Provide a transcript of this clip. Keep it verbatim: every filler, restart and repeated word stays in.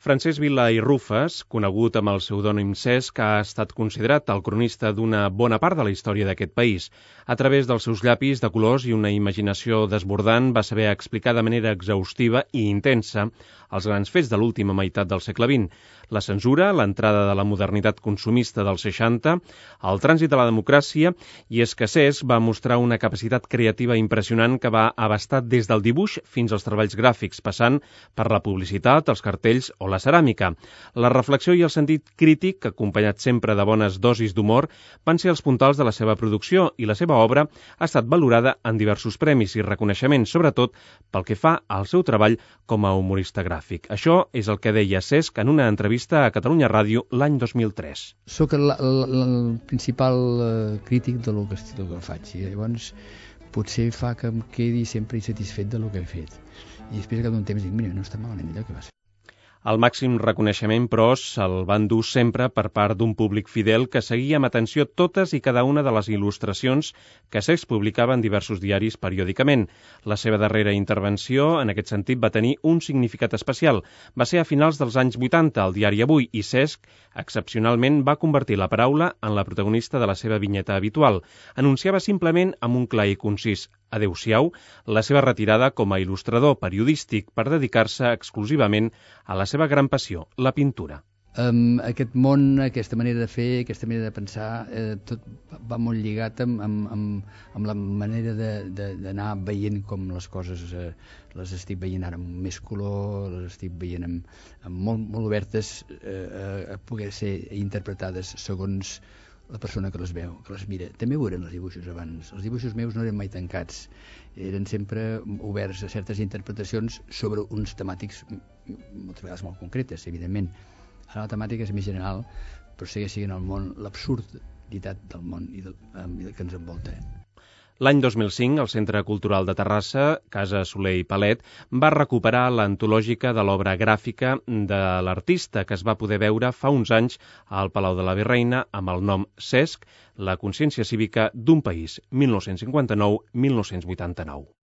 Francesc Vila i Rufes, conegut amb el pseudònim Cesc, ha estat considerat el cronista d'una bona part de la història d'aquest país. A través dels seus llapis de colors i una imaginació desbordant va saber explicar de manera exhaustiva i intensa els grans fets de l'última meitat del segle vint. La censura, l'entrada de la modernitat consumista dels seixanta, el trànsit de la democràcia, i és que Cesc va mostrar una capacitat creativa impressionant que va abastar des del dibuix fins als treballs gràfics, passant per la publicitat, els cartells o la ceràmica. La reflexió i el sentit crític, acompanyat sempre de bones dosis d'humor, van ser els puntals de la seva producció i la seva obra ha estat valorada en diversos premis i reconeixements, sobretot pel que fa al seu treball com a humorista gràfic. Això és el que deia Cesc en una entrevista a Catalunya Ràdio l'any dos mil tres. Soc el, el, el principal uh, crític de lo que, de lo que faig i llavors potser fa que em quedi sempre insatisfet de lo que he fet. I després que d'un temps dic, mira, no està malament allò que vas fer. El màxim reconeixement, però, se'l van dur sempre per part d'un públic fidel que seguia amb atenció totes i cada una de les il·lustracions que Cesc publicava en diversos diaris periòdicament. La seva darrera intervenció, en aquest sentit, va tenir un significat especial. Va ser a finals dels anys vuitanta, al diari Avui, i Cesc, excepcionalment, va convertir la paraula en la protagonista de la seva vinyeta habitual. Anunciava simplement, amb un clar i concís adéu-siau, la seva retirada com a il·lustrador periodístic per dedicar-se exclusivament a la seva gran passió, la pintura. Um, aquest món, aquesta manera de fer, aquesta manera de pensar, eh, tot va molt lligat amb, amb, amb, amb la manera d'anar veient com les coses eh, les estic veient ara amb més color, les estic veient amb, amb molt, molt obertes eh, a poder ser interpretades segons la persona que les veu, que les mira. També ho eren els dibuixos abans. Els dibuixos meus no eren mai tancats. Eren sempre oberts a certes interpretacions sobre uns temàtics moltes vegades molt concretes, evidentment. Ara la temàtica és més general, però segueix sent el món, l'absurditat del món i del, i del que ens envolta. L'any dos mil cinc, el Centre Cultural de Terrassa, Casa Soler i Palet, va recuperar l'antològica de l'obra gràfica de l'artista que es va poder veure fa uns anys al Palau de la Virreina amb el nom Cesc, la consciència cívica d'un país, mil nou-cents cinquanta-nou a mil nou-cents vuitanta-nou.